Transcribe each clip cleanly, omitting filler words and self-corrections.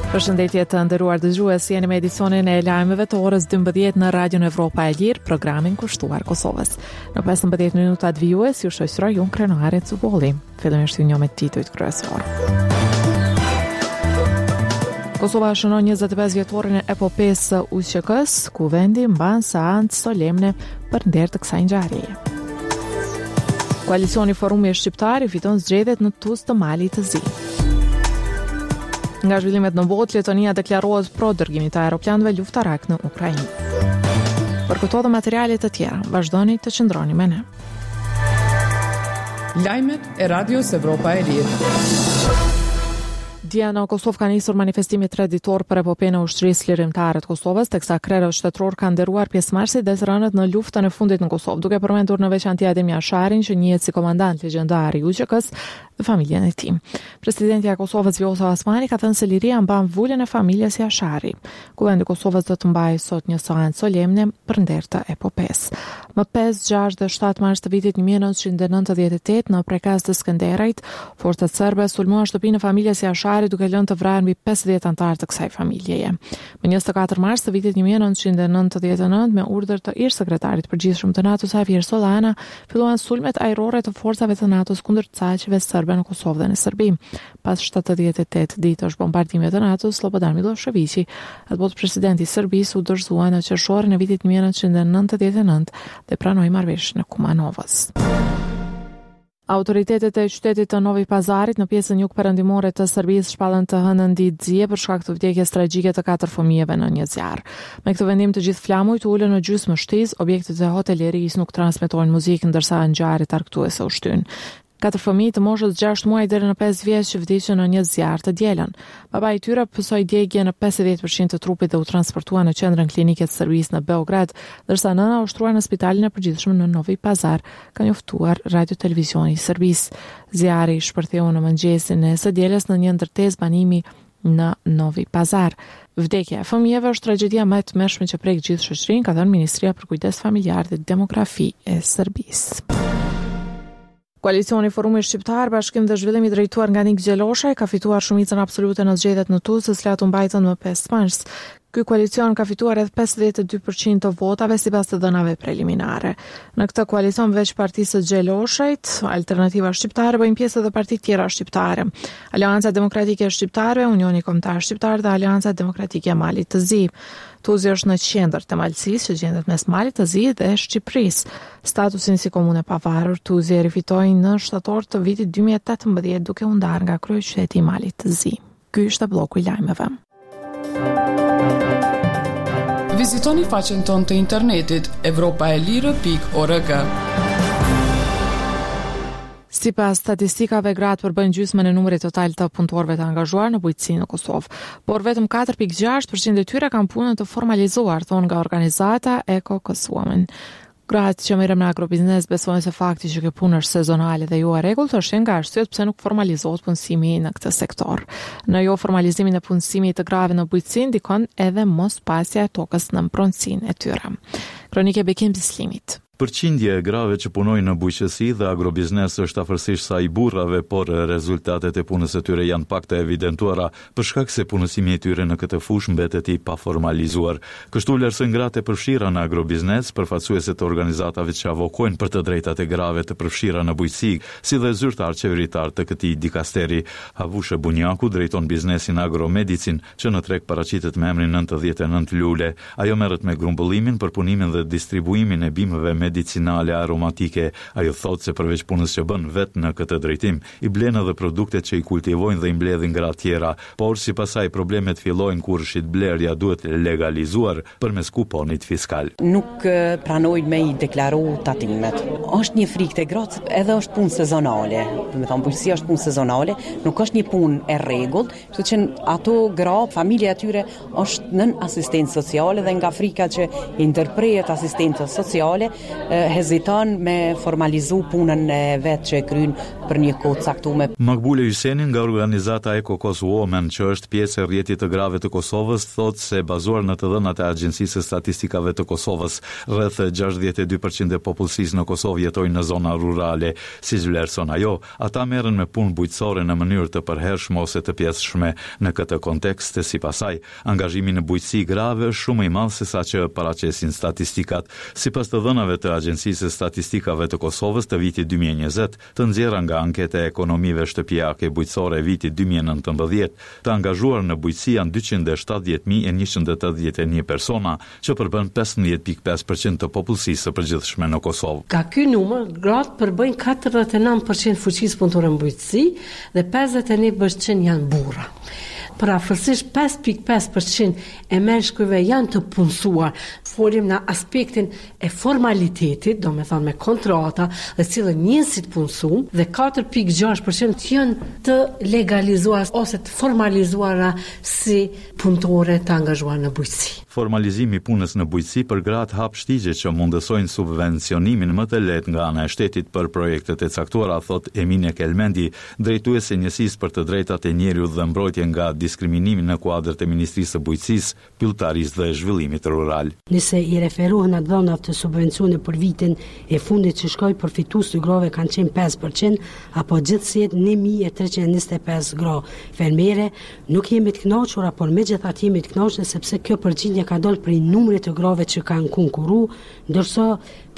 Përshëndetje të nderuar dëgjues, jeni me edicionin e lajmeve të orës 12 në Radion Evropa e Lirë, programin kushtuar Kosovës. Në 15 minutat vijues ju shoqëroj unë Krenare Cubolli. Fillimisht ju njoh me titujt kryesorë. Kosova shënon 25 vjetorin e epopesë së UÇK-së, Kuvendi mban seancë solemne për nder të kësaj ngjarjeje. Koalicioni Forumi Shqiptar i fiton zgjedhjet në Tuz të Malit të Zi. Nga zhvillimet në botë, Letonia deklarohet pro dërgimit të aeroplanëve luftarakë në Ukrainë. Për këto dhe materiale të tjera, vazhdoni të qëndroni me ne. Lajmet e Radios Evropa e Lirë. Dje në Kosovë ka nisur manifestimi treditor për epopenë e Ushtrisë Çlirimtare të Kosovës, teksa krerët shtetërorë kanë nderuar pjesëmarrësit dhe të rënët në luftën e fundit në Kosovë, duke përmendur në veçanti Adem Jasharin, që njihet si komandant legjendar i UÇK-së dhe familjen e tij. Presidentja e Kosovës Vjosa Osmani ka thënë se liria mban vulën e familjes Jashari. Kuvendi i Kosovës do të mbajë sot një seancë solemne për nder të epopesë. Më 5, 6 dhe 7 mars të vitit 1998 në Prekaz të Skënderajt, forcat serbe sulmuan shtëpinë e familjes Jashari duke lënë të vrarë mbi 50 anëtarë të kësaj familjeje. Më 24 mars të vitit 1999, me urdhër të ish sekretarit të përgjithshëm të NATO-s Javier Solana, filluan sulmet ajrore të forcave të NATO-s kundër caqeve serbe në Kosovë dhe në Serbi. Pas 78 ditësh bombardime të NATO-s, Slobodan Millosheviqi, atëbotë presidenti i Serbisë, u dorëzua në qershorin e vitit 1999 dhe pranoi marrëveshjen e Kumanovës. Autoritetet e qytetit të Novi Pazarit në pjesën jugperëndimore të Serbisë shpallën të hënën ditë zie për shkak të vdekjes tragjike të katër fëmijëve në një zjarr. Me këtë vendim të gjithë flamujt u ulën në gjysmë shtizë, objektet e hotelerisë nuk transmetojnë muzikë ndërsa ngjarjet argëtuese u shtynë. Katër fëmijë të moshës 6 muaj deri në 5 vjeç vdiqën në një zjarr të dielën. Babai i tyre pësoi djegie në 50% të trupit dhe u transportua në qendrën klinike të Serbisë në Beograd, ndërsa nëna u shtrua në spitalin e përgjithshëm në Novi Pazar, ka njoftuar Radio Televizioni i Serbisë. Zjarri shpërtheu në mëngjesin e së dielës në një ndërtesë banimi në Novi Pazar. Vdekja e fëmijëve është tragjedia më e tmerrshme që prek gjithë shoqërinë, ka thënë Ministria për Kujdes Familjar dhe Demografi e Serbisë. Koalicioni Forumi Shqiptar, Bashkim dhe Zhvillim i drejtuar nga Nik Gjeloshaj ka fituar shumicën absolute në zgjedhjet në Tuz, të cilat u mbajtën më 5 mars. Ky koalicion ka fituar rreth 52% të votave sipas të dhënave preliminare. Në këtë koalicion veç partisë së Gjeloshajt, Alternativa Shqiptare bëjnë pjesë edhe parti tjera shqiptare. Aleanca Demokratike e Shqiptarëve, Unioni Kombëtar Shqiptar dhe Aleanca Demokratike e Malit të Zi. Tuzi është në qendër të Malësisë, që gjendet mes Malit të Zi dhe Shqipërisë. Statusin si komunë e pavarur, Tuzi e rifitoi në shtator të vitit 2018 duke u ndarë nga kryeqyteti i Malit të Zi. Ky ishte blloku i lajmeve. Vizitoni faqen tonë të internetit evropaelire.org. Sipas statistikave, gratë përbëjnë gjysmën e numrit total të punëtorëve të angazhuar në bujqësi në Kosovë, por vetëm 4.6% e tyre kanë punën të formalizuar, thonë nga organizata Eco Women. Gratë që merren me agrobiznes besojnë se fakti që kjo punë është sezonale dhe jo e rregullt është një nga arsyet pse nuk formalizohet punësimi në këtë sektor. Në jo formalizimin e punësimit të grave në bujqësi ndikon edhe mospasja e tokës në pronësinë e tyre. Kronikë e Bekim Bislimit. Përqindja e grave që punojnë në bujqësi dhe agrobiznes është afërsisht sa i burrave, por rezultatet e punës së tyre janë pak të evidentuara, për shkak se punësimi i tyre në këtë fushë mbetet i paformalizuar. Kështu vlerësojnë gratë e përfshira në agrobiznes, përfaqësuese të organizatave që avokojnë për të drejtat e grave të përfshira në bujqësi, si dhe zyrtarë qeveritarë të këtij dikasteri. Havushe Bunjaku drejton biznesin Agromedicin, që në treg paraqitet me emrin 99 Lule. Ajo merret me grumbullimin, përpunimin dhe distribuimin e bimëve medicinale aromatike. Ajo thotë se përveç punës që bën vetë në këtë drejtim, i blen edhe produktet që i kultivojnë dhe i mbledhin gra tjera, por sipas saj problemet fillojnë kur shitblerja duhet legalizuar përmes kuponit fiskal. Nuk pranojnë me i deklaru tatimet. Është një frikë te gratë edhe është punë sezonale, domethonë bujqësia është punë sezonale, nuk është një punë e rregullt, kështu që ato gra, familja e tyre është nën asistencë sociale dhe nga frika që i ndërprehet asistenca sociale, heziton me formalizu punën e vet që e kryn për një kohë të caktume. Makbule Hyseni nga organizata Eko Kos Women, që është pjesë e Rrjetit të Grave të Kosovës, thotë se bazuar në të dhënat e Agjencisë së Statistikave të Kosovës, rreth 62 për qind e popullsisë në Kosovë jetojnë në zona rurale. Siç vlerëson ajo, ata merren me punë bujqësore në mënyrë të përhershme ose të pjesshme. Në këtë kontekst, sipas saj, Angazhimi në bujqësi i grave është shumë më i madh se sa që paraqesin statistikat. Sipas të dhënave të Agjencisë së Statistikave të Kosovës të vitit 2020, të nxjerra nga anketa e ekonomive shtëpiake bujqësore e vitit 2019, të angazhuar në bujqësi janë 270.181 persona, që përbën 15.5% të popullsisë së përgjithshme në Kosovë. Nga ky numër, gratë përbëjnë 49% fuqisë punëtore në bujqësi dhe 51% janë burra. Përafërsisht 5.5% e meshkujve janë të punësuar. Folim në aspektin e formalitetit, domethonë me kontrata dhe cilën njën si të punësum, dhe 4.6% janë të legalizuar ose të formalizuara si punëtore të angazhuar në bujqësi. Formalizimi i punës në bujqësi për gratë hap shtigje që mundësojnë subvencionimin më të lehtë nga ana e shtetit për projektet e caktuara, thotë Emine Kelmendi, drejtuese e Njësisë për të Drejtat e Njeriut dhe Mbrojtje nga Diskriminimi në kuadër të Ministrisë së Bujqësisë, Pylltarisë dhe Zhvillimit Rural. Nëse i referohen të dhënave të subvencione për vitin e fundit që shkoi, përfitues të grave kanë qenë 5%, apo gjithsej 1325 gra fermere, nuk jemi të kënaqura, por megjithatë jemi të kënaqur sepse kjo përqindje ka dalë prej numrit të grave që kanë konkuru, ndërsa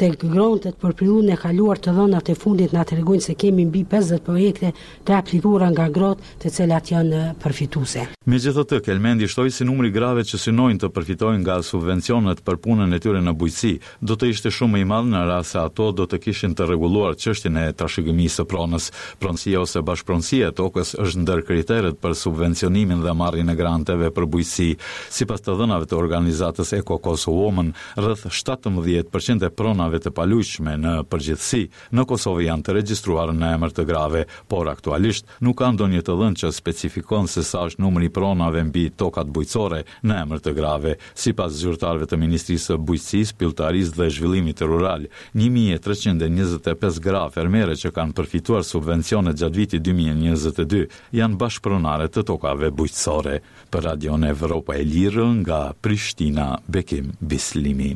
tek grantet për periudhën e kaluar të dhënat e fundit na tregojnë se kemi mbi 50 projekte të aplikuara nga gratë të cilat janë përfituese. Megjithatë, Kelmendi shtoi se numri i grave që synojnë të përfitojnë nga subvencionet për punën e tyre në bujqësi, do të ishte shumë më i madh në rast se ato do të kishin të rregulluar çështjen e trashëgimisë së pronës. Pronësia ose bashkëpronësia e tokës është ndër kriteret për subvencionimin dhe marrjen e granteve për bujqësi. Sipas të dhënave të organizatës Eko Kos Women, rreth 17% e pronave të paluajtshme në përgjithësi në Kosovë janë të regjistruara në emër të grave, por aktualisht nuk ka ndonjë të dhënë që specifikon se sa është numri i pronave mbi tokat bujqësore në emër të grave. Sipas zyrtarëve të Ministrisë së Bujqësisë, Pylltarisë dhe Zhvillimit Rural, 1325 gra fermere që kanë përfituar subvencione gjatë vitit 2022 janë bashkëpronare të tokave bujqësore. Për Radion Evropa e Lirë nga Prishtina, Bekim Bislimi.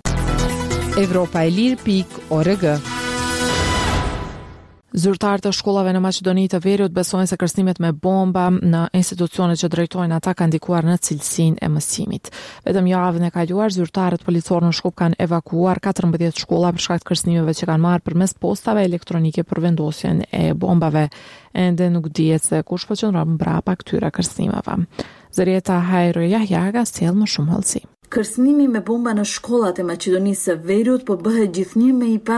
Evropa e Lirë pikë org. Zyrtarë të shkollave në Maqedoni të Veriut besojnë se kërcënimet me bomba në institucionet që drejtojnë ata kanë ndikuar në cilësinë e mësimit. Vetëm javën e kaluar, zyrtarët policorë në Shkup kanë evakuuar 14 shkolla për shkak të kërcënimeve që kanë marrë përmes postave elektronike për vendosjen e bombave. Ende nuk dihet se kush po qëndron mbrapa këtyre kërcënimeve. Zërieta Hajro Jahjaga sjell më shumë hollësi. Kërcënimi me bomba në shkollat e Maqedonisë së Veriut po bëhet gjithnjë më i pa.